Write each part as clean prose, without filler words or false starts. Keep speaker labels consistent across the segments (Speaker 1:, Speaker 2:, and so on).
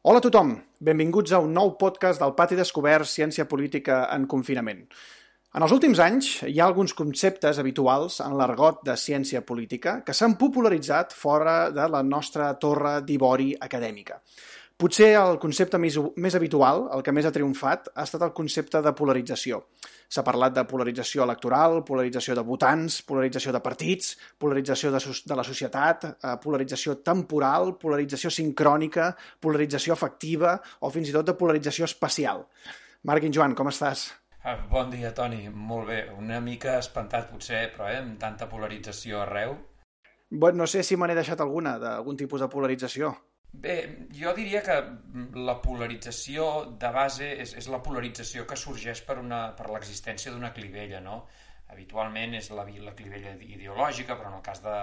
Speaker 1: Hola a tothom, benvinguts a un nou podcast del Pati Descobert Ciència Política en Confinament. En els últims anys hi ha alguns conceptes habituals en l'argot de ciència política que s'han popularitzat fora de la nostra torre d'ivori acadèmica. Potser el concepte més habitual, el que més ha triomfat, ha estat el concepte de polarització. S'ha parlat de polarització electoral, polarització de votants, polarització de partits, polarització de la societat, polarització temporal, polarització sincrònica, polarització afectiva o fins i tot de polarització espacial. Marc i Joan, com estàs?
Speaker 2: Bon dia, Toni. Molt bé. Una mica espantat, potser, però amb tanta polarització arreu.
Speaker 1: Bueno, no sé si me n'he deixat alguna, d'algun tipus de polarització.
Speaker 2: Bé, jo diria que la polarització de base és la polarització que sorgeix per l'existència d'una clivella, no? Habitualment és la clivella ideològica, però en el cas de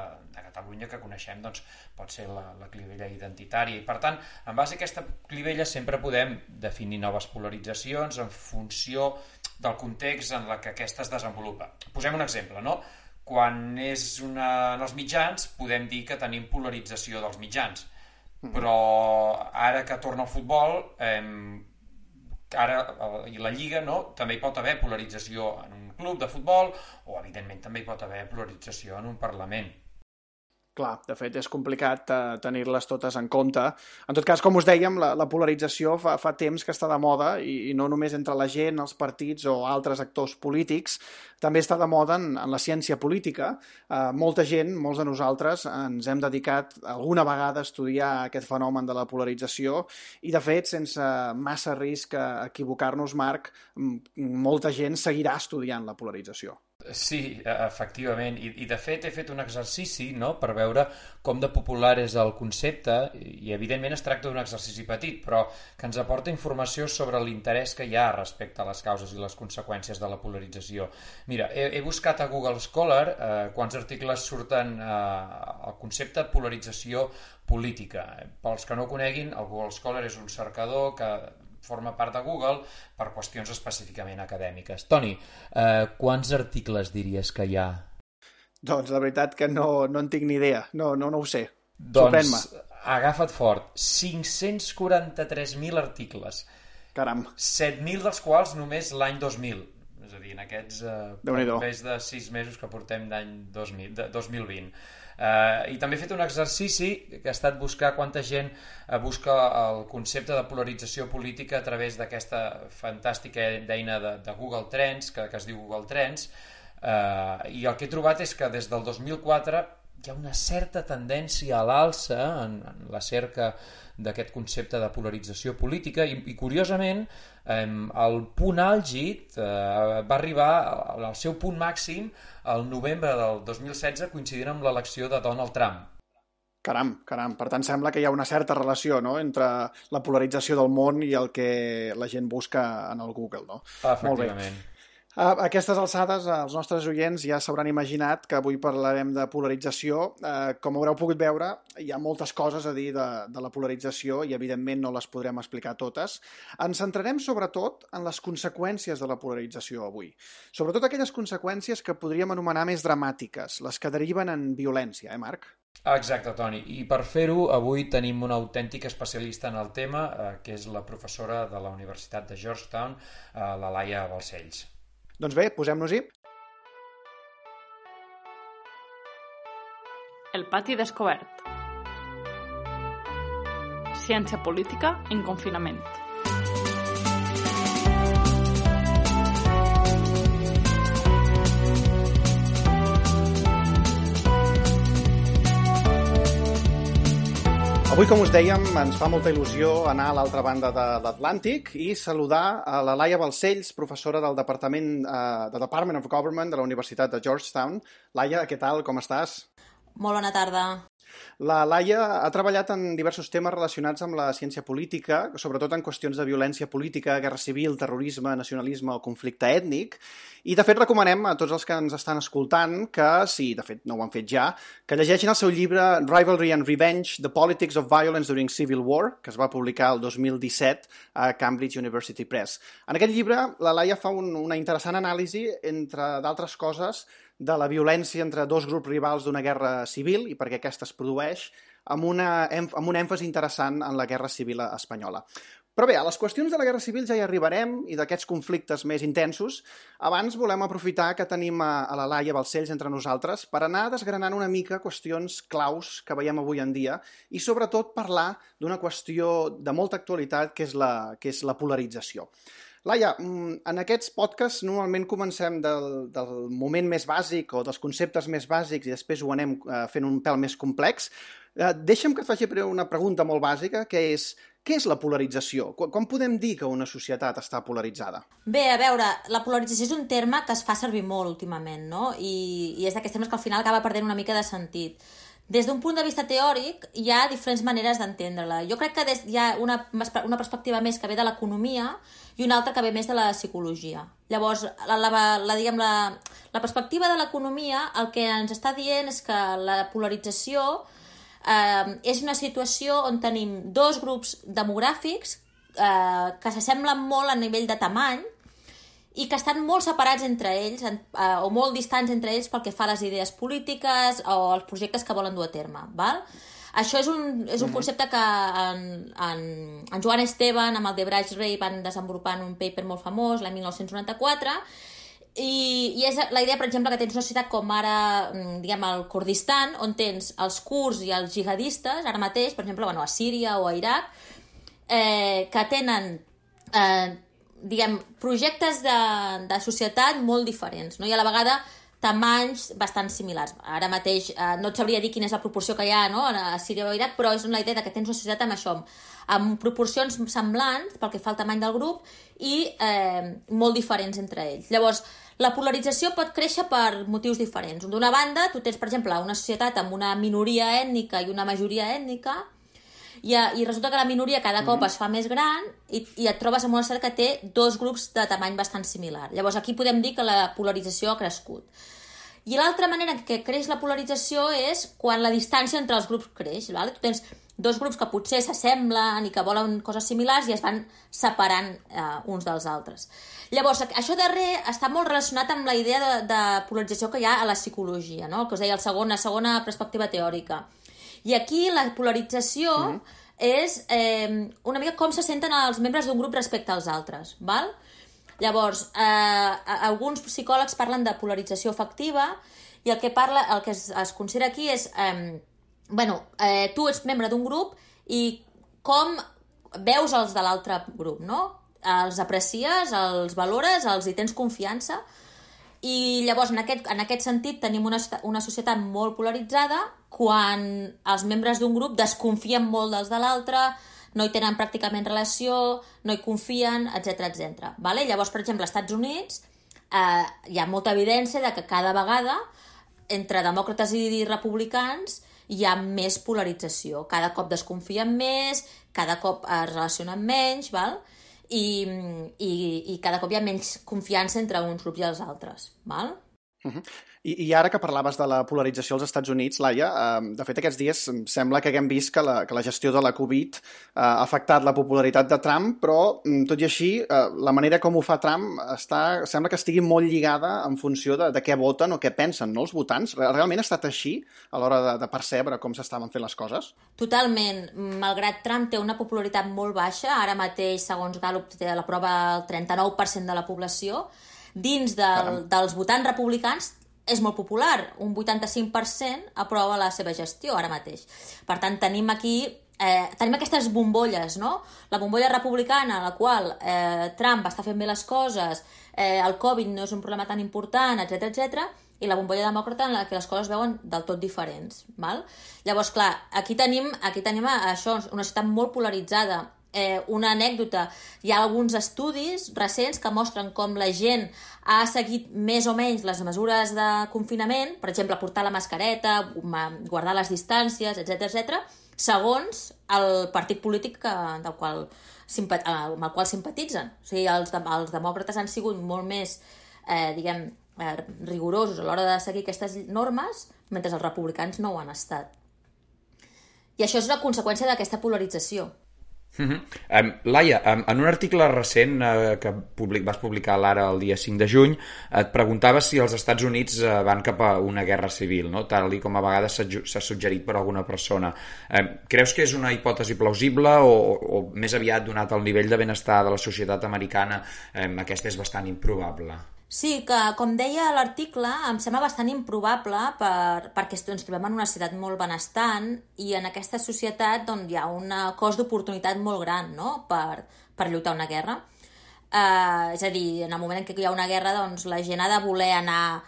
Speaker 2: Catalunya que coneixem doncs, pot ser la clivella identitària. I per tant, en base a aquesta clivella sempre podem definir noves polaritzacions en funció del context en què aquesta es desenvolupa. Posem un exemple, no? Quan és en els mitjans podem dir que tenim polarització dels mitjans, però ara que torna el futbol i la Lliga, no? També hi pot haver polarització en un club de futbol o evidentment també hi pot haver polarització en un Parlament.
Speaker 1: Clar, de fet és complicat tenir-les totes en compte. En tot cas, com us dèiem, la polarització fa temps que està de moda i no només entre la gent, els partits o altres actors polítics, també està de moda en la ciència política. Molta gent, molts de nosaltres, ens hem dedicat alguna vegada a estudiar aquest fenomen de la polarització i, de fet, sense massa risc a equivocar-nos, Marc, molta gent seguirà estudiant la polarització.
Speaker 2: Sí, efectivament, i de fet he fet un exercici, no?, per veure com de popular és el concepte i evidentment es tracta d'un exercici petit però que ens aporta informació sobre l'interès que hi ha respecte a les causes i les conseqüències de la polarització. Mira, he buscat a Google Scholar quants articles surten al concepte de polarització política. Pels que no ho coneguin, el Google Scholar és un cercador que forma part de Google per qüestions específicament acadèmiques. Toni, quants articles diries que hi ha?
Speaker 1: Doncs la veritat que no en tinc ni idea, no ho sé.
Speaker 2: Doncs agafa't fort, 543.000 articles.
Speaker 1: Caram.
Speaker 2: 7.000 dels quals només l'any 2000. És a dir, en aquests més de 6 mesos que portem d'any 2020. I també he fet un exercici que ha estat buscar quanta gent busca el concepte de polarització política a través d'aquesta fantàstica eina de Google Trends, que es diu Google Trends, i el que he trobat és que des del 2004 hi ha una certa tendència a l'alça en la cerca d'aquest concepte de polarització política i curiosament el punt àlgid va arribar al seu punt màxim al novembre del 2016 coincidint amb l'elecció de Donald Trump.
Speaker 1: Caram. Per tant, sembla que hi ha una certa relació, no?, entre la polarització del món i el que la gent busca en el Google, no?
Speaker 2: Efectivament.
Speaker 1: A aquestes alçades, els nostres oients ja s'hauran imaginat que avui parlarem de polarització. Com haureu pogut veure, hi ha moltes coses a dir de la polarització i, evidentment, no les podrem explicar totes. Ens centrarem, sobretot, en les conseqüències de la polarització avui. Sobretot aquelles conseqüències que podríem anomenar més dramàtiques, les que deriven en violència, Marc?
Speaker 2: Exacte, Toni. I per fer-ho, avui tenim una autèntica especialista en el tema, que és la professora de la Universitat de Georgetown, la Laia Balcells.
Speaker 1: Doncs bé, posem-nos-hi.
Speaker 3: El Pati Descobert. Ciència política en confinament.
Speaker 1: Avui, com us dèiem, ens fa molta il·lusió anar a l'altra banda de l'Atlàntic i saludar a la Laia Balcells, professora del Departament of Government de la Universitat de Georgetown. Laia, què tal? Com estàs?
Speaker 4: Molt bona tarda.
Speaker 1: La Laia ha treballat en diversos temes relacionats amb la ciència política, sobretot en qüestions de violència política, guerra civil, terrorisme, nacionalisme o conflicte ètnic, i de fet recomanem a tots els que ens estan escoltant que, si de fet no ho han fet ja, que llegeixin el seu llibre Rivalry and Revenge, The Politics of Violence During Civil War, que es va publicar el 2017 a Cambridge University Press. En aquest llibre, la Laia fa una interessant anàlisi, entre d'altres coses, de la violència entre dos grups rivals d'una guerra civil i perquè aquesta es produeix, amb un èmfasi interessant en la Guerra Civil espanyola. Però bé, a les qüestions de la Guerra Civil ja hi arribarem i d'aquests conflictes més intensos. Abans volem aprofitar que tenim a la Laia Balcells entre nosaltres per anar desgranant una mica qüestions claus que veiem avui en dia i sobretot parlar d'una qüestió de molta actualitat que és la polarització. Laia, en aquests podcasts normalment comencem del moment més bàsic o dels conceptes més bàsics i després ho anem fent un pèl més complex. Deixa'm que et faci una pregunta molt bàsica, que és: què és la polarització? Com podem dir que una societat està polaritzada?
Speaker 4: Bé, a veure, la polarització és un terme que es fa servir molt últimament, no? I és d'aquests termes que al final acaba perdent una mica de sentit. Des d'un punt de vista teòric, hi ha diferents maneres d'entendre-la. Jo crec que hi ha una perspectiva més que ve de l'economia i una altra que ve més de la psicologia. Llavors, la perspectiva de l'economia el que ens està dient és que la polarització és una situació on tenim dos grups demogràfics que s'assemblen molt a nivell de tamany i que estan molt separats entre ells o molt distants entre ells pel que fa a les idees polítiques o els projectes que volen dur a terme. Val? Això és un concepte que en Joan Esteban amb el de Brashrey van desenvolupar en un paper molt famós l'any 1994 i és la idea, per exemple, que tens una societat com ara, diguem, el Kurdistan, on tens els kurds i els jihadistes, ara mateix, per exemple, a Síria o a Iraq, que tenen, diguem, projectes de societat molt diferents, no? I a la vegada tamanys bastant similars. Ara mateix no et sabria dir quina és la proporció que hi ha, no? A Síria o a Iraq, però és la idea que tens una societat amb això, amb proporcions semblants pel que fa al tamany del grup i molt diferents entre ells. Llavors, la polarització pot créixer per motius diferents. D'una banda, tu tens, per exemple, una societat amb una minoria ètnica i una majoria ètnica i resulta que la minoria cada cop es fa més gran i et trobes amb una societat que té dos grups de tamany bastant similar. Llavors, aquí podem dir que la polarització ha crescut. I l'altra manera que creix la polarització és quan la distància entre els grups creix. Val? Tu tens dos grups que potser s'assemblen i que volen coses similars i es van separant uns dels altres. Llavors, això darrer està molt relacionat amb la idea de polarització que hi ha a la psicologia, no? El que us deia, la segona perspectiva teòrica. I aquí la polarització és una mica com se senten els membres d'un grup respecte als altres. Val? Llavors, alguns psicòlegs parlen de polarització afectiva i el que es considera aquí és tu ets membre d'un grup i com veus els de l'altre grup, no? Els aprecies, els valores, els hi tens confiança i llavors en aquest sentit tenim una societat molt polaritzada quan els membres d'un grup desconfien molt dels de l'altre, no hi tenen pràcticament relació, no hi confien, etc. Vale? Llavors, per exemple, als Estats Units hi ha molta evidència de que cada vegada entre demòcrates i republicans hi ha més polarització. Cada cop desconfien més, cada cop es relacionen menys, val? I cada cop hi ha menys confiança entre uns grups i els altres. Val?
Speaker 1: I ara que parlaves de la polarització als Estats Units, Laia, de fet aquests dies sembla que haguem vist que la gestió de la Covid ha afectat la popularitat de Trump, però tot i així la manera com ho fa Trump sembla que estigui molt lligada en funció de què voten o què pensen, no, els votants. Realment ha estat així a l'hora de percebre com s'estaven fent les coses?
Speaker 4: Totalment. Malgrat Trump té una popularitat molt baixa, ara mateix, segons Gallup, té a la prova el 39% de la població, dins dels votants republicans és molt popular, un 85% aprova la seva gestió ara mateix. Per tant, tenim aquestes bombolles, no? La bombolla republicana, en la qual Trump està fent bé les coses, el Covid no és un problema tan important, etc. I la bombolla demòcrata en la que les coses veuen del tot diferents. Val? Llavors, clar, aquí tenim això, una societat molt polaritzada. Una anècdota, hi ha alguns estudis recents que mostren com la gent ha seguit més o menys les mesures de confinament, per exemple, portar la mascareta, guardar les distàncies, etc., segons el partit polític amb el qual simpatitzen. O sigui, els demòcrates han sigut molt més, rigorosos a l'hora de seguir aquestes normes, mentre els republicans no ho han estat. I això és una conseqüència d'aquesta polarització.
Speaker 5: Laia, en un article recent que vas publicar l'Ara el dia 5 de juny, et preguntava si els Estats Units van cap a una guerra civil, no? Tal com a vegades s'ha suggerit per alguna persona. Creus que és una hipòtesi plausible o més aviat, donat el nivell de benestar de la societat americana, aquesta és bastant improbable?
Speaker 4: Sí, que com deia l'article, em sembla bastant improbable perquè ens trobem en una societat molt benestant i en aquesta societat hi ha un cost d'oportunitat molt gran, no?, per lluitar una guerra. És a dir, en el moment en què hi ha una guerra, doncs la gent ha de voler anar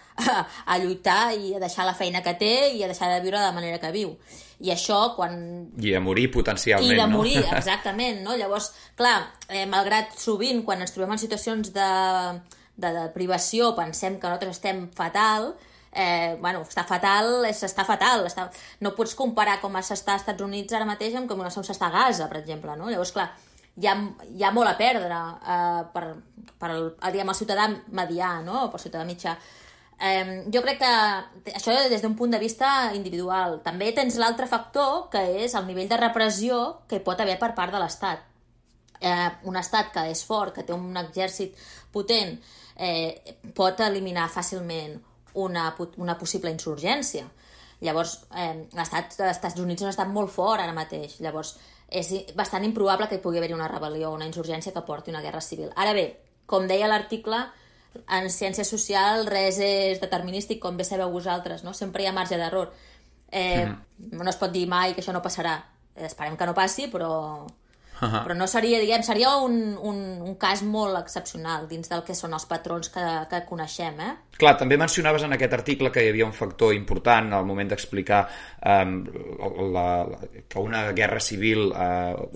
Speaker 4: a lluitar i a deixar la feina que té i a deixar de viure de la manera que viu. I això quan...
Speaker 5: I a morir potencialment, no?
Speaker 4: I de morir, exactament, no? Llavors, clar, malgrat sovint quan ens trobem en situacions de privació pensem que nosaltres estem fatal, està fatal, s'està fatal. No pots comparar com s'està als Estats Units ara mateix amb com s'està a Gaza, per exemple, no? Llavors, clar, hi ha molt a perdre per el ciutadà medià, no?, per el ciutadà mitjà. Jo crec que això des d'un punt de vista individual. També tens l'altre factor, que és el nivell de repressió que hi pot haver per part de l'Estat. Un estat que és fort, que té un exèrcit potent, pot eliminar fàcilment una possible insurgència. Llavors, l'Estat dels Estats Units és un estat molt fort ara mateix. Llavors, és bastant improbable que hi pugui haver una rebel·lió o una insurgència que porti una guerra civil. Ara bé, com deia l'article, en ciència social res és determinístic, com bé sabeu vosaltres, no? Sempre hi ha marge d'error. No es pot dir mai que això no passarà. Esperem que no passi, però no seria, seria un cas molt excepcional dins del que són els patrons que coneixem,
Speaker 5: Clar, també mencionaves en aquest article que hi havia un factor important al moment d'explicar que una guerra civil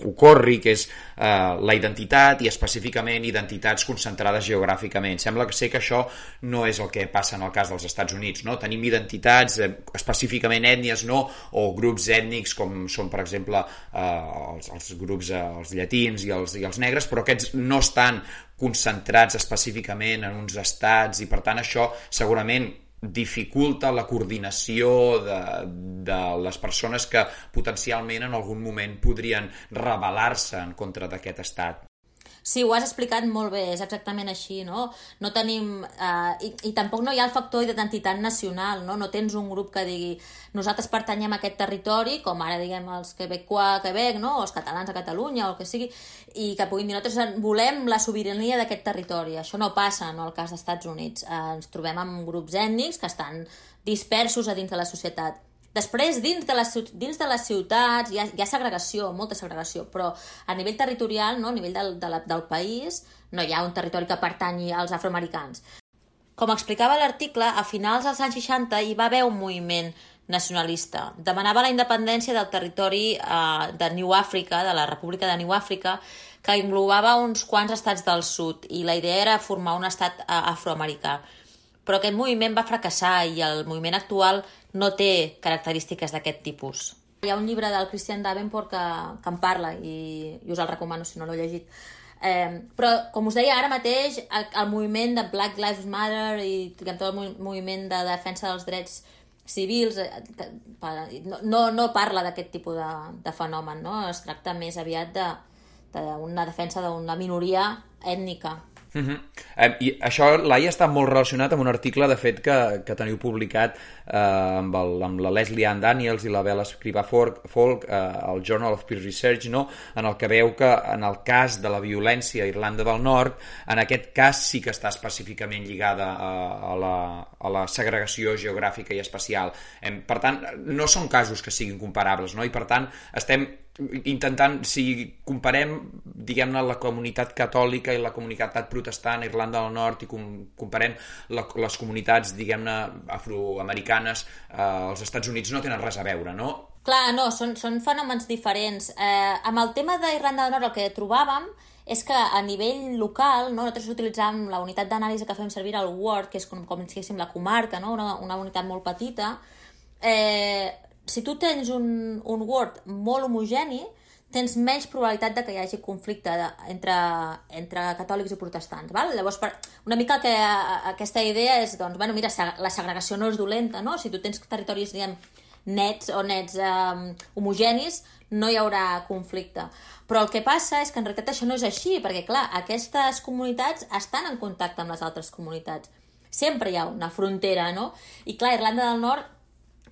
Speaker 5: ocorri, que és la identitat i específicament identitats concentrades geogràficament. Sembla que que això no és el que passa en el cas dels Estats Units, no? Tenim identitats, específicament ètnies, no? O grups ètnics com són, per exemple, els grups els llatins i els negres, però aquests no estan concentrats específicament en uns estats i per tant això segurament dificulta la coordinació de les persones que potencialment en algun moment podrien rebel·lar-se en contra d'aquest estat.
Speaker 4: Sí, ho has explicat molt bé, és exactament així, no? No tenim... I tampoc no hi ha el factor d'identitat nacional, no? No tens un grup que digui nosaltres pertanyem a aquest territori, com ara diguem els quebecois a Quebec, no? O els catalans a Catalunya, o el que sigui, i que puguin dir nosaltres volem la sobirania d'aquest territori. Això no passa, no, al cas dels Estats Units. Ens trobem amb grups ètnics que estan dispersos a dins de la societat. Després, dins de les ciutats hi ha segregació, molta segregació, però a nivell territorial, no, a nivell del país, no hi ha un territori que pertanyi als afroamericans. Com explicava l'article, a finals dels anys 60 hi va haver un moviment nacionalista. Demanava la independència del territori de New Africa, de la República de New Africa, que englobava uns quants estats del sud, i la idea era formar un estat afroamericà. Però aquest moviment va fracassar i el moviment actual no té característiques d'aquest tipus. Hi ha un llibre del Christian Davenport que en parla i us el recomano si no l'heu llegit. Però, com us deia, ara mateix el moviment de Black Lives Matter i tot el moviment de defensa dels drets civils no parla d'aquest tipus de fenomen, no? Es tracta més aviat d'una defensa d'una minoria ètnica.
Speaker 5: I això, Laia, està molt relacionat amb un article, de fet, que teniu publicat amb la Leslie Ann Daniels i la Bella Scriba Folk al Journal of Peace Research, no? En el que veu que en el cas de la violència a Irlanda del Nord, en aquest cas sí que està específicament lligada a la segregació geogràfica i espacial. Per tant, no són casos que siguin comparables, no? I per tant estem intentant, si comparem, diguem-ne, la comunitat catòlica i la comunitat protestant a Irlanda del Nord i comparem les comunitats, diguem-ne, afroamericanes, als Estats Units no tenen res a veure, no?
Speaker 4: Clar, no, són fenòmens diferents. Amb el tema d'Irlanda del Nord el que trobàvem és que a nivell local, no, nosaltres utilitzàvem la unitat d'anàlisi que fem servir al Ward, que és com si diguéssim la comarca, no? Una unitat molt petita. Si tu tens un Ward molt homogeni, tens menys probabilitat de que hi hagi conflicte entre catòlics i protestants. Val? Llavors, una mica que aquesta idea és, doncs, bueno, mira, la segregació no és dolenta, no? Si tu tens territoris, diguem, nets homogenis, no hi haurà conflicte. Però el que passa és que en realitat això no és així, perquè, clar, aquestes comunitats estan en contacte amb les altres comunitats. Sempre hi ha una frontera, no? I, clar, Irlanda del Nord,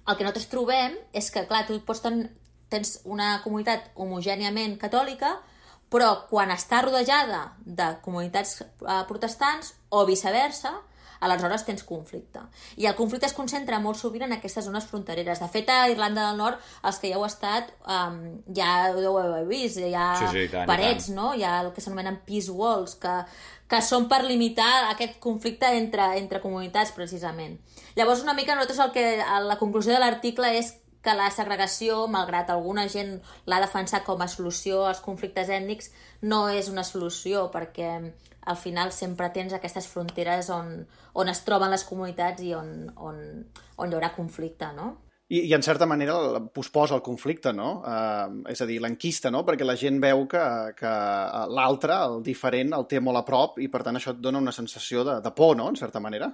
Speaker 4: el que nosaltres trobem és que, clar, tu tens una comunitat homogèniament catòlica, però quan està rodejada de comunitats protestants o viceversa, aleshores tens conflicte. I el conflicte es concentra molt sovint en aquestes zones frontereres. De fet, a Irlanda del Nord, els que ja heu estat, ja ho heu vist, hi ha parets, no? Hi ha el que s'anomenen peace walls, que són per limitar aquest conflicte entre comunitats, precisament. Llavors, una mica nosaltres la conclusió de l'article és que la segregació, malgrat alguna gent l'ha defensat com a solució als conflictes ètnics, no és una solució, perquè al final sempre tens aquestes fronteres on es troben les comunitats i on hi haurà conflicte, no?
Speaker 1: I en certa manera posposa el conflicte, no? És a dir, l'enquista, no? Perquè la gent veu que l'altre, el diferent, el té molt a prop i per tant això et dona una sensació de por, no? En certa manera.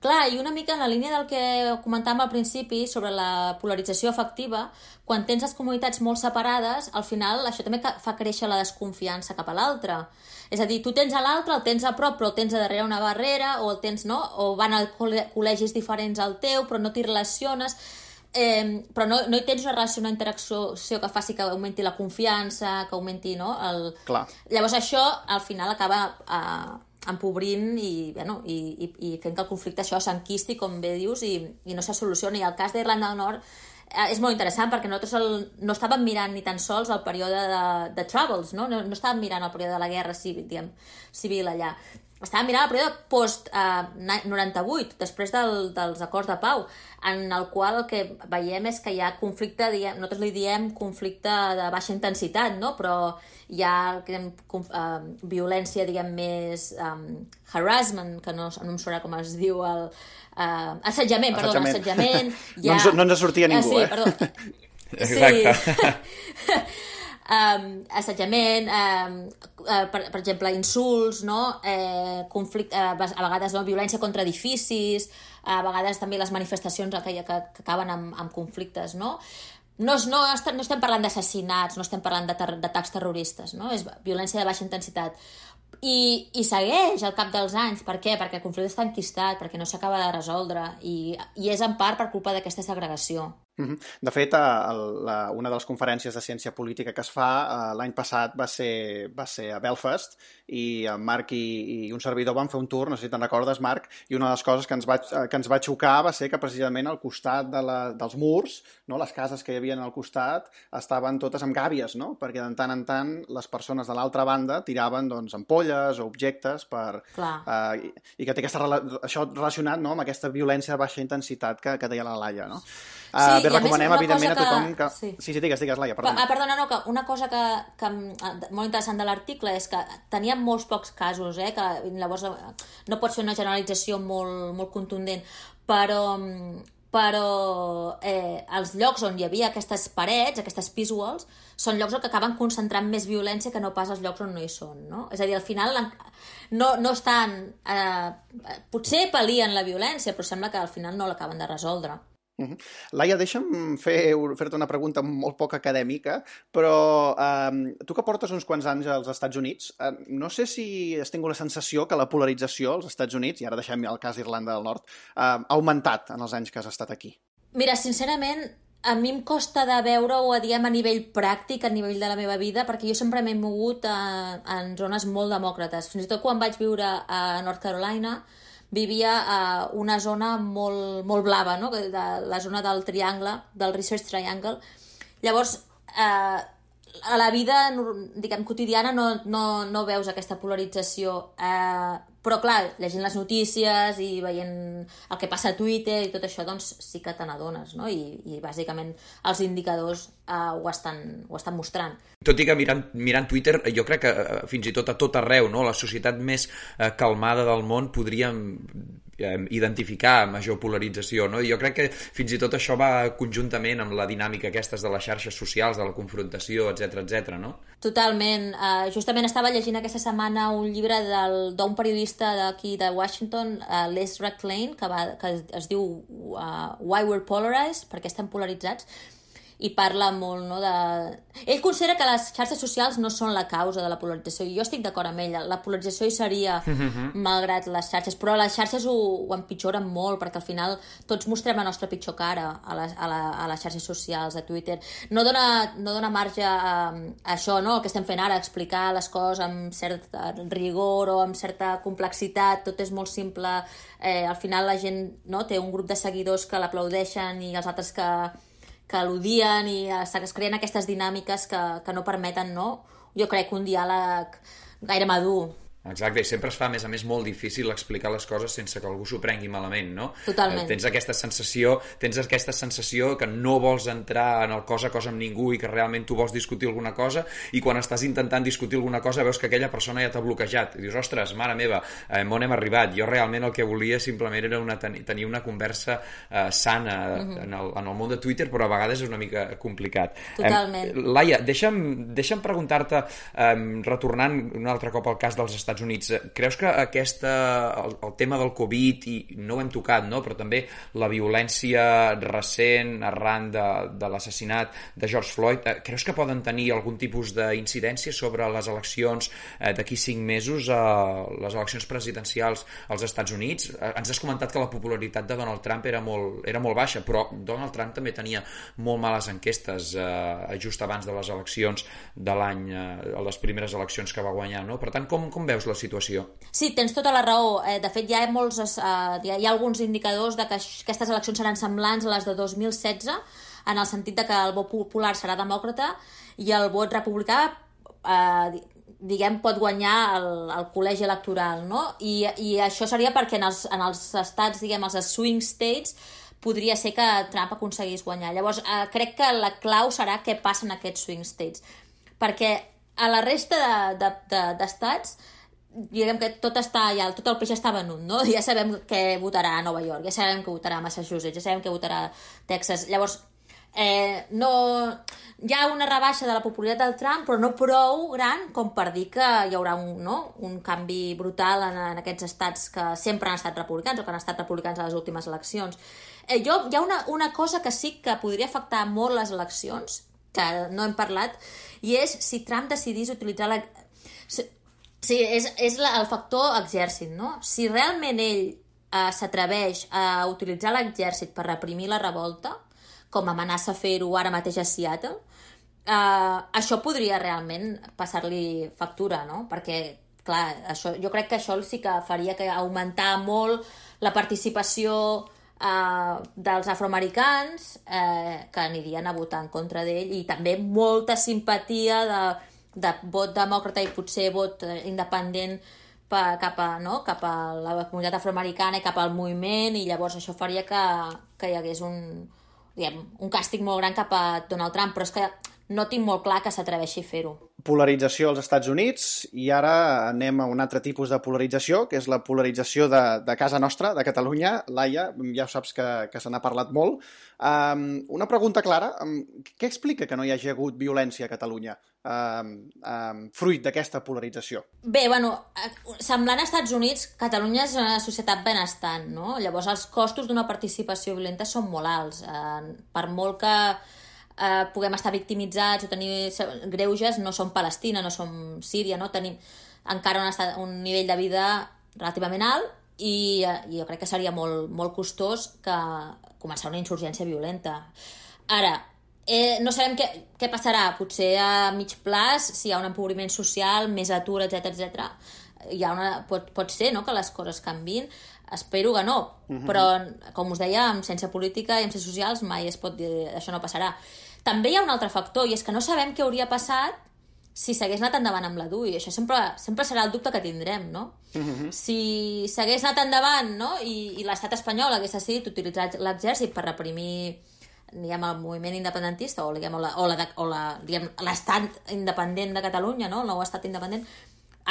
Speaker 4: Clar, i una mica en la línia del que comentàvem al principi sobre la polarització afectiva, quan tens les comunitats molt separades, al final això també fa créixer la desconfiança cap a l'altre. És a dir, tu tens a l'altre, el tens a prop, però el tens a darrere una barrera, o el tens, no? O van a col·legis diferents al teu, però no t'hi relaciones, però no hi tens una relació, una interacció que faci que augmenti la confiança, que augmenti, no?
Speaker 1: Clar.
Speaker 4: Llavors això, al final, acaba empobrint i fent que el conflicte això s'enquisti, com bé dius, i no se solucioni. I el cas d'Irlanda del Nord és molt interessant perquè nosaltres no estàvem mirant ni tan sols el període de Troubles, no estàvem mirant el període de la guerra civil allà. Estàvem mirant el període post-98, després dels acords de pau, en el qual el que veiem és que hi ha conflicte, nosaltres li diem conflicte de baixa intensitat, no? Però hi ha violència, diguem, més harassment, que no em sona com es diu, assetjament.
Speaker 1: No ens sortia ningú,
Speaker 4: sí, perdó.
Speaker 5: Exacte.
Speaker 4: Assetjament, per exemple, insults, no? Conflicte, a vegades violència contra edificis, a vegades també les manifestacions que acaben amb conflictes, no? No estem parlant d'assassinats, no estem parlant d'atacs terroristes, no? És violència de baixa intensitat. I segueix al cap dels anys. Per què? Perquè el conflicte està enquistat, perquè no s'acaba de resoldre, i és en part per culpa d'aquesta segregació.
Speaker 1: De fet, una de les conferències de ciència política que es fa l'any passat va ser a Belfast, i en Marc i un servidor van fer un tour, no sé si te'n recordes, Marc, i una de les coses que ens va xocar va ser que precisament al costat dels murs, no, les cases que hi havia al costat estaven totes amb gàbies, no? Perquè de tant en tant les persones de l'altra banda tiraven ampolles o objectes i que té això relacionat, no, amb aquesta violència de baixa intensitat que deia la Laia, no?
Speaker 4: Sí,
Speaker 1: recomanem, evidentment, a tothom que...
Speaker 4: Sí,
Speaker 1: digues, Laia, perdona.
Speaker 4: Perdona, no, que una cosa que molt interessant de l'article és que teníem molts pocs casos, que llavors no pots fer una generalització molt contundent, però els llocs on hi havia aquestes parets, aquestes peace walls, són llocs que acaben concentrant més violència que no pas els llocs on no hi són, no? És a dir, al final no estan... potser pal·lien la violència, però sembla que al final no l'acaben de resoldre.
Speaker 1: Laia, deixa'm fer-te una pregunta molt poc acadèmica, però tu que portes uns quants anys als Estats Units, no sé si has tingut la sensació que la polarització als Estats Units, i ara deixem el cas d'Irlanda del Nord, ha augmentat en els anys que has estat aquí.
Speaker 4: Mira, sincerament, a mi em costa de veure-ho a nivell pràctic, a nivell de la meva vida, perquè jo sempre m'he mogut en zones molt demòcrates. Fins i tot quan vaig viure a North Carolina, vivia a una zona molt blava, no? La zona del triangle, del Research Triangle. Llavors, a la vida, diguem, quotidiana no veus aquesta polarització, però clar, llegint les notícies i veient el que passa a Twitter i tot això, doncs sí que te n'adones, no? I bàsicament els indicadors ho estan mostrant.
Speaker 5: Tot i que mirant Twitter, jo crec que fins i tot a tot arreu, no? La societat més calmada del món podríem identificar major polarització, no? I jo crec que fins i tot això va conjuntament amb la dinàmica aquestes de les xarxes socials, de la confrontació, etc, no?
Speaker 4: Totalment. Justament estava llegint aquesta setmana un llibre d'un periodista d'aquí de Washington, Les Rack Lane, que es diu Why We're Polarized, perquè estem polaritzats, i parla molt, no, de... Ell considera que les xarxes socials no són la causa de la polarització, i jo estic d'acord amb ell. La polarització hi seria malgrat les xarxes, però les xarxes ho empitjoren molt, perquè al final tots mostrem la nostra pitjor cara a les xarxes socials, a Twitter. No dona marge a això, no?, el que estem fent ara, explicar les coses amb cert rigor o amb certa complexitat, tot és molt simple. Al final la gent, no, té un grup de seguidors que l'aplaudeixen i els altres que l'odien, i es creen aquestes dinàmiques que no permeten, no, jo crec, un diàleg gaire madur.
Speaker 5: Exacte, i sempre es fa, a més, molt difícil explicar les coses sense que algú s'ho prengui malament, no?
Speaker 4: Totalment.
Speaker 5: Tens aquesta sensació que no vols entrar en el cos a cos amb ningú i que realment tu vols discutir alguna cosa, i quan estàs intentant discutir alguna cosa veus que aquella persona ja t'ha bloquejat. I dius, ostres, mare meva, on hem arribat? Jo realment el que volia simplement era tenir una conversa sana en el món de Twitter, però a vegades és una mica complicat.
Speaker 4: Totalment.
Speaker 5: Laia, deixa'm preguntar-te, retornant un altre cop al cas dels Estats Units, creus que el tema del Covid, i no ho hem tocat, no?, però també la violència recent arran de l'assassinat de George Floyd, creus que poden tenir algun tipus d'incidència sobre les eleccions d'aquí 5 mesos, les eleccions presidencials als Estats Units? Ens has comentat que la popularitat de Donald Trump era molt baixa, però Donald Trump també tenia molt males enquestes just abans de les eleccions de l'any, les primeres eleccions que va guanyar, no? Per tant, com veus la situació?
Speaker 4: Sí, tens tota la raó. De fet, hi ha alguns indicadors de que aquestes eleccions seran semblants a les de 2016, en el sentit de que el vot popular serà demòcrata i el vot republicà pot guanyar el col·legi electoral, no? I això seria perquè en els estats, els swing states, podria ser que Trump aconseguís guanyar. Llavors, crec que la clau serà què passa en aquests swing states, perquè a la resta d'estats, diguem que tot el peix està venut, no? Ja sabem què votarà a Nova York, ja sabem que votarà a Massachusetts, ja sabem que votarà a Texas. Llavors, no, hi ha una rebaixa de la popularitat del Trump, però no prou gran com per dir que hi haurà un canvi brutal en aquests estats que sempre han estat republicans o que han estat republicans a les últimes eleccions. Hi ha una cosa que sí que podria afectar molt les eleccions, que no hem parlat, i és si Trump decidís utilitzar Sí, és el factor exèrcit, no? Si realment ell s'atreveix a utilitzar l'exèrcit per reprimir la revolta, com amenaça fer-ho ara mateix a Seattle, això podria realment passar-li factura, no? Perquè, clar, jo crec que això sí que faria que augmentar molt la participació dels afroamericans que anirien a votar en contra d'ell, i també molta simpatia de vot demòcrata i potser vot independent cap a la comunitat afroamericana i cap al moviment, i llavors això faria que hi hagués un càstig molt gran cap a Donald Trump, però és que no tinc molt clar que s'atreveixi a fer-ho.
Speaker 1: Polarització als Estats Units, i ara anem a un altre tipus de polarització, que és la polarització de casa nostra, de Catalunya. Laia, ja saps que se n'ha parlat molt. Una pregunta clara, què explica que no hi hagi hagut violència a Catalunya fruit d'aquesta polarització?
Speaker 4: Bé, semblant a Estats Units, Catalunya és una societat benestant, no? Llavors els costos d'una participació violenta són molt alts. Per molt que puguem estar victimitzats o tenir greuges, no som Palestina, no som Síria, no? Tenim encara un nivell de vida relativament alt, i jo crec que seria molt, molt costós que començar una insurgència violenta. Ara, no sabem què passarà, potser a mig plaç, si hi ha un empobriment social, més atur, etc. Pot ser, no?, que les coses canviïn. Espero que no, però com us deia, amb ciència política i amb ciències socials mai es pot dir això no passarà. També hi ha un altre factor, i és que no sabem què hauria passat si s'hagués anat endavant amb la DUI. Això sempre serà el dubte que tindrem, no? Si s'hagués anat endavant, no?, i l'estat espanyol hagués decidit utilitzar l'exèrcit per reprimir, diguem, el moviment independentista o l'estat independent de Catalunya, no?, el nou estat independent,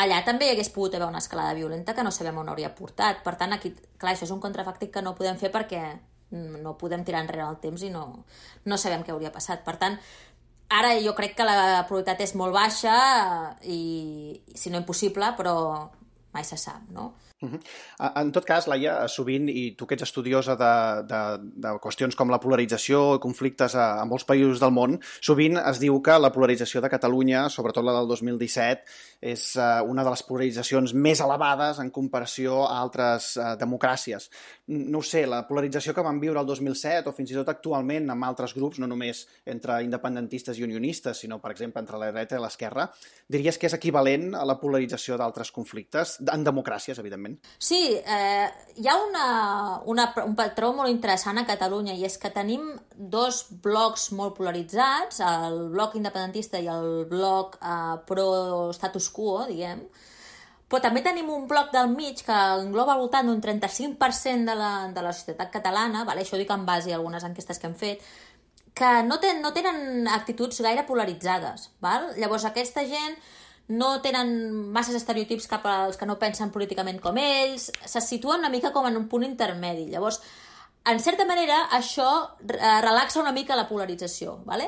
Speaker 4: allà també hi hagués pogut haver una escalada violenta que no sabem on hauria portat. Per tant, aquí, clar, això és un contrafàctic que no podem fer perquè no podem tirar enrere el temps i no sabem què hauria passat. Per tant, ara jo crec que la probabilitat és molt baixa, i si no impossible, però mai se sap, no?
Speaker 1: En tot cas, Laia, sovint, i tu que ets estudiosa de qüestions com la polarització i conflictes a molts països del món, sovint es diu que la polarització de Catalunya, sobretot la del 2017, és una de les polaritzacions més elevades en comparació a altres democràcies. No ho sé, la polarització que vam viure el 2007 o fins i tot actualment amb altres grups, no només entre independentistes i unionistes, sinó, per exemple, entre la dreta i l'esquerra, diries que és equivalent a la polarització d'altres conflictes, en democràcies, evidentment?
Speaker 4: Sí, hi ha un patró molt interessant a Catalunya i és que tenim dos blocs molt polaritzats, el bloc independentista i el bloc pro-status quo, diguem, però també tenim un bloc del mig que engloba al voltant d'un 35% de la societat catalana, vale? Això ho dic en base a algunes enquestes que hem fet, que no tenen actituds gaire polaritzades. Val? Llavors aquesta gent no tenen masses estereotips cap als que no pensen políticament com ells, se situen una mica com en un punt intermedi. Llavors, en certa manera, això relaxa una mica la polarització. Vale?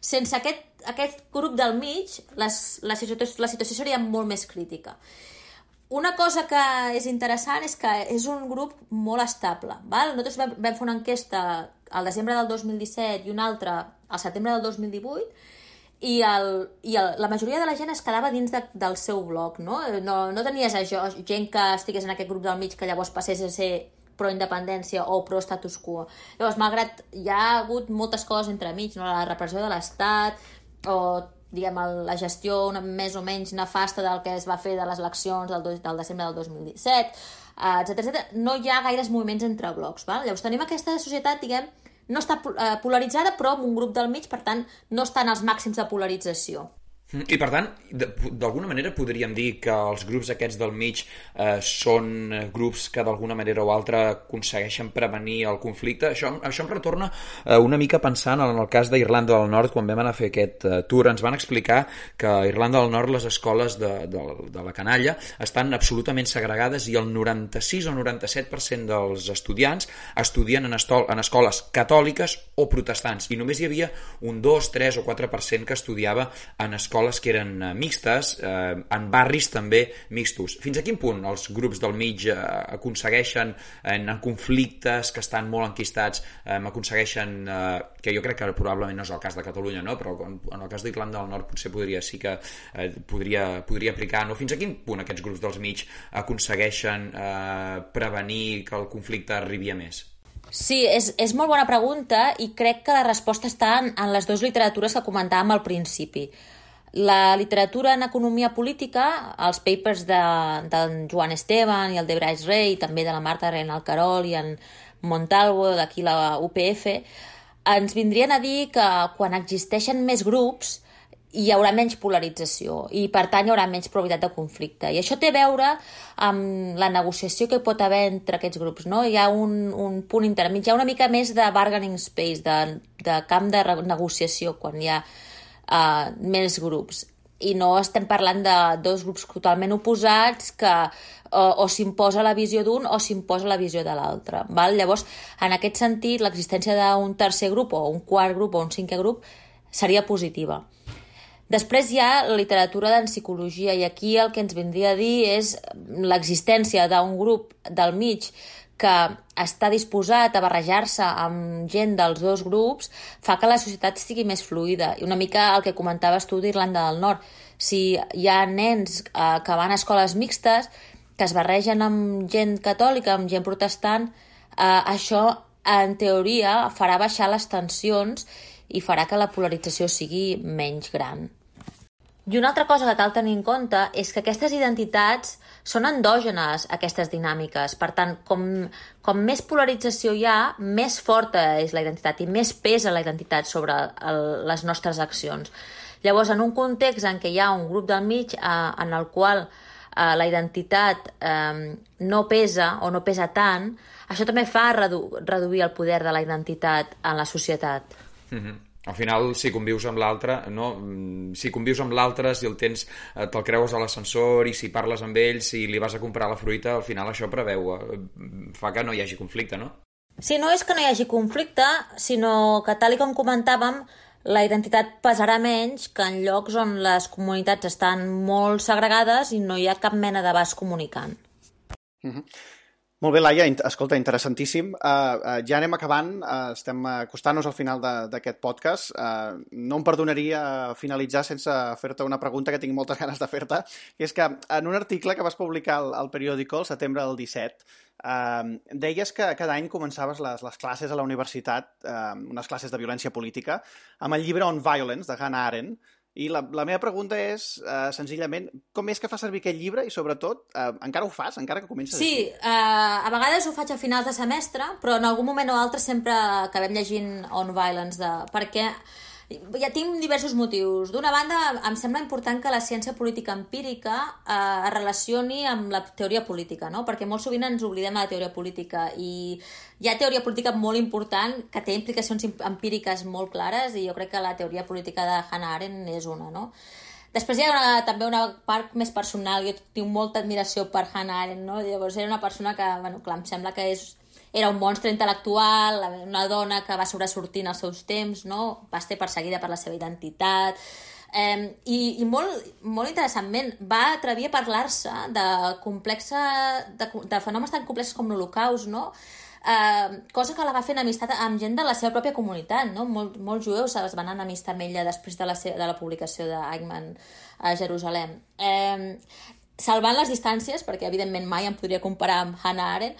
Speaker 4: Sense aquest grup del mig, la situació seria molt més crítica. Una cosa que és interessant és que és un grup molt estable. Val? Nosaltres vam fer una enquesta al desembre del 2017 i una altra al setembre del 2018, i la majoria de la gent es quedava dins del seu bloc, no? No tenies gent que estigués en aquest grup del mig que llavors passés a ser pro-independència o pro-status quo. Llavors, malgrat hi ha hagut moltes coses entremig, no? La repressió de l'Estat o diguem, la gestió més o menys nefasta del que es va fer de les eleccions del desembre del 2017, etc. No hi ha gaires moviments entre blocs. Val? Llavors tenim aquesta societat, diguem, no està polaritzada, però amb un grup del mig, per tant, no està en els màxims de polarització.
Speaker 5: I per tant, d'alguna manera podríem dir que els grups aquests del mig són grups que d'alguna manera o altra aconsegueixen prevenir el conflicte. Això em retorna una mica pensant en el cas d'Irlanda del Nord. Quan vam anar a fer aquest tour ens van explicar que a Irlanda del Nord les escoles de la canalla estan absolutament segregades i el 96 o 97% dels estudiants estudien en escoles catòliques o protestants, i només hi havia un 2, 3 o 4% que estudiava en escoles que eren mixtes, en barris també mixtos. Fins a quin punt els grups del mig aconsegueixen, en conflictes que estan molt enquistats, aconsegueixen, que jo crec que probablement no és el cas de Catalunya, no? Però en el cas d'Irlanda del Nord potser podria aplicar, no? Fins a quin punt aquests grups dels mig aconsegueixen prevenir que el conflicte arribi a més?
Speaker 4: Sí, és molt bona pregunta i crec que la resposta està en les dues literatures que comentàvem al principi. La literatura en economia política, els papers d'en Joan Esteban i el de Bryce Ray, també de la Marta Renal Carol i en Montalvo, d'aquí la UPF, ens vindrien a dir que quan existeixen més grups hi haurà menys polarització i, per tant, hi haurà menys probabilitat de conflicte. I això té a veure amb la negociació que hi pot haver entre aquests grups, no? Hi ha un punt intermig, hi ha una mica més de bargaining space, de camp de negociació, quan hi ha més grups. I no estem parlant de dos grups totalment oposats que o s'imposa la visió d'un o s'imposa la visió de l'altre. Llavors, en aquest sentit, l'existència d'un tercer grup o un quart grup o un cinquè grup seria positiva. Després hi ha la literatura d'en psicologia i aquí el que ens vindria a dir és l'existència d'un grup del mig que està disposat a barrejar-se amb gent dels dos grups fa que la societat sigui més fluida. I una mica el que comentaves tu d'Irlanda del Nord. Si hi ha nens que van a escoles mixtes, que es barregen amb gent catòlica, amb gent protestant, això, en teoria, farà baixar les tensions i farà que la polarització sigui menys gran. I una altra cosa que cal tenir en compte és que aquestes identitats són endògenes, aquestes dinàmiques. Per tant, com més polarització hi ha, més forta és la identitat i més pesa la identitat sobre les nostres accions. Llavors, en un context en què hi ha un grup del mig en el qual la identitat no pesa o no pesa tant, això també fa reduir el poder de la identitat en la societat.
Speaker 5: Mm-hmm. Al final, si convius amb l'altre, no? Si convius amb l'altre, si el tens, te'l creues a l'ascensor i si parles amb ell, si li vas a comprar la fruita, al final això fa que no hi hagi conflicte, no?
Speaker 4: Sí, no és que no hi hagi conflicte, sinó que, tal com comentàvem, la identitat pesarà menys que en llocs on les comunitats estan molt segregades i no hi ha cap mena d'abast comunicant.
Speaker 1: Molt bé, Laia, escolta, interessantíssim. Ja anem acabant, estem acostant-nos al final d'aquest podcast. No em perdonaria finalitzar sense fer-te una pregunta que tinc moltes ganes de fer-te, que és que en un article que vas publicar al periòdico el setembre del 17, deies que cada any començaves les classes a la universitat, unes classes de violència política, amb el llibre On Violence, de Hannah Arendt. I la meva pregunta és, senzillament, com és que fa servir aquest llibre i, sobretot, encara ho fas, encara que comences així?
Speaker 4: Sí, a vegades ho faig a finals de semestre, però en algun moment o altre sempre acabem llegint On Violence, perquè ja tinc diversos motius. D'una banda, em sembla important que la ciència política empírica es relacioni amb la teoria política, no? Perquè molt sovint ens oblidem de la teoria política i hi ha teoria política molt important que té implicacions empíriques molt clares i jo crec que la teoria política de Hannah Arendt és una, no? Després hi ha també una part més personal. Jo tinc molta admiració per Hannah Arendt, no? Llavors era una persona que, bueno, clar, em sembla que era un monstre intel·lectual, una dona que va sobresortir en els seus temps, no? Va ser perseguida per la seva identitat. I molt interessantment va atrevir a parlar-se de fenòmens tan complexos com l'Holocaust, no? Cosa que la va fer en amistat amb gent de la seva pròpia comunitat, no? Molts jueus es van enemistar amb ella després de la publicació d'Eichmann a Jerusalem. Salvant les distàncies, perquè evidentment mai em podria comparar amb Hannah Arendt,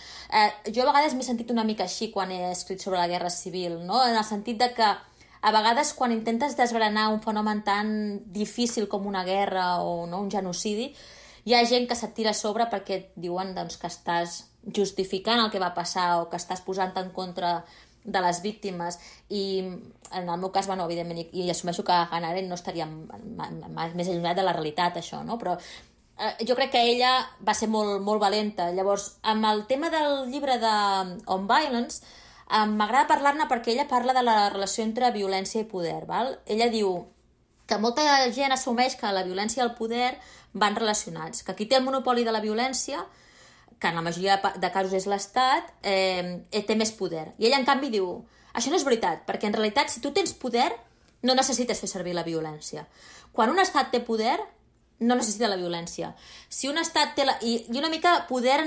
Speaker 4: jo a vegades m'he sentit una mica així quan he escrit sobre la guerra civil, no? En el sentit de que a vegades quan intentes desgranar un fenomen tan difícil com una guerra o no, un genocidi, hi ha gent que se't tira a sobre perquè et diuen doncs, que estàs justificant el que va passar o que estàs posant en contra de les víctimes, i en el meu cas, bueno, evidentment, i assumeixo que Hannah Arendt no estaria més allunyat de la realitat, això, no? Però jo crec que ella va ser molt, molt valenta. Llavors, amb el tema del llibre de On Violence, m'agrada parlar-ne perquè ella parla de la relació entre violència i poder. Val? Ella diu que molta gent assumeix que la violència i el poder van relacionats, que qui té el monopoli de la violència, que en la majoria de casos és l'Estat, té més poder. I ella, en canvi, diu, això no és veritat, perquè en realitat, si tu tens poder, no necessites fer servir la violència. Quan un Estat té poder, no necessita la violència. Si un estat té i una mica poder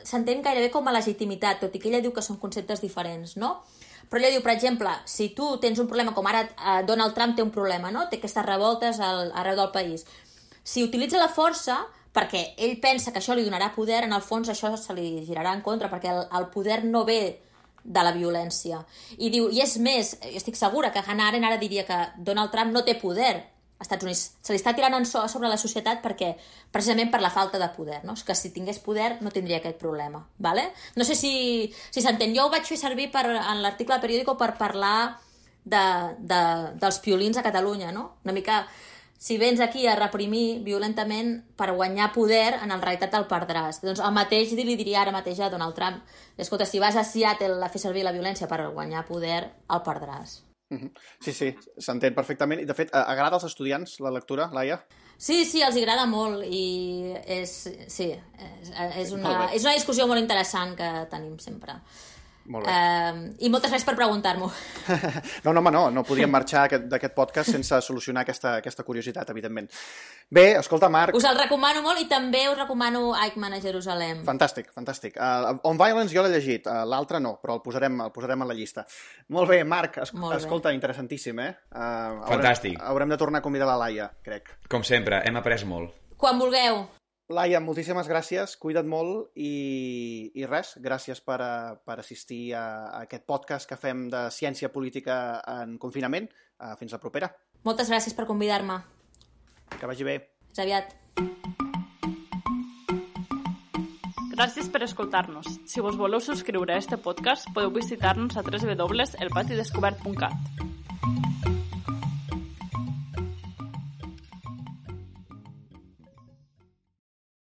Speaker 4: s'entén gairebé com a legitimitat, tot i que ella diu que són conceptes diferents, no? Però ella diu, per exemple, si tu tens un problema, com ara Donald Trump té un problema, no? Té aquestes revoltes arreu del país. Si utilitza la força perquè ell pensa que això li donarà poder, en el fons això se li girarà en contra, perquè el poder no ve de la violència. I diu, i és més, estic segura que Hannah Arendt ara diria que Donald Trump no té poder als Estats Units. Se li està tirant sobre la societat perquè, precisament per la falta de poder, no? Que si tingués poder no tindria aquest problema. ¿Vale? No sé si s'entén. Jo ho vaig fer servir en l'article del periòdico per parlar dels piolins a Catalunya, no? Una mica, si vens aquí a reprimir violentament per guanyar poder, en realitat el perdràs. Doncs el mateix li diria ara mateix a Donald Trump. Escolta, si vas a Seattle a fer servir la violència per guanyar poder, el perdràs.
Speaker 1: Sí, s'entén perfectament. I, de fet, agrada als estudiants la lectura, Laia?
Speaker 4: Sí, els agrada molt i és una discussió molt interessant que tenim sempre.
Speaker 1: Molt bé.
Speaker 4: I moltes gràcies per preguntar-m'ho.
Speaker 1: No podíem marxar d'aquest podcast sense solucionar aquesta curiositat, evidentment. Bé, escolta, Marc...
Speaker 4: Us el recomano molt i també us recomano Eichmann a Jerusalem.
Speaker 1: Fantàstic. On Violence jo l'he llegit, l'altre no, però el posarem a la llista. Molt bé, Marc, escolta, interessantíssim, eh?
Speaker 5: Fantàstic.
Speaker 1: Haurem de tornar a convidar la Laia, crec.
Speaker 5: Com sempre, hem après molt.
Speaker 4: Quan vulgueu.
Speaker 1: Laia, moltíssimes gràcies, cuida't molt i res, gràcies per assistir a aquest podcast que fem de ciència política en confinament. Fins la propera.
Speaker 4: Moltes gràcies per convidar-me.
Speaker 1: Que vagi bé.
Speaker 4: Fins aviat.
Speaker 3: Gràcies per escoltar-nos. Si vos voleu subscriure a este podcast, podeu visitar-nos a www.elpatidescobert.cat.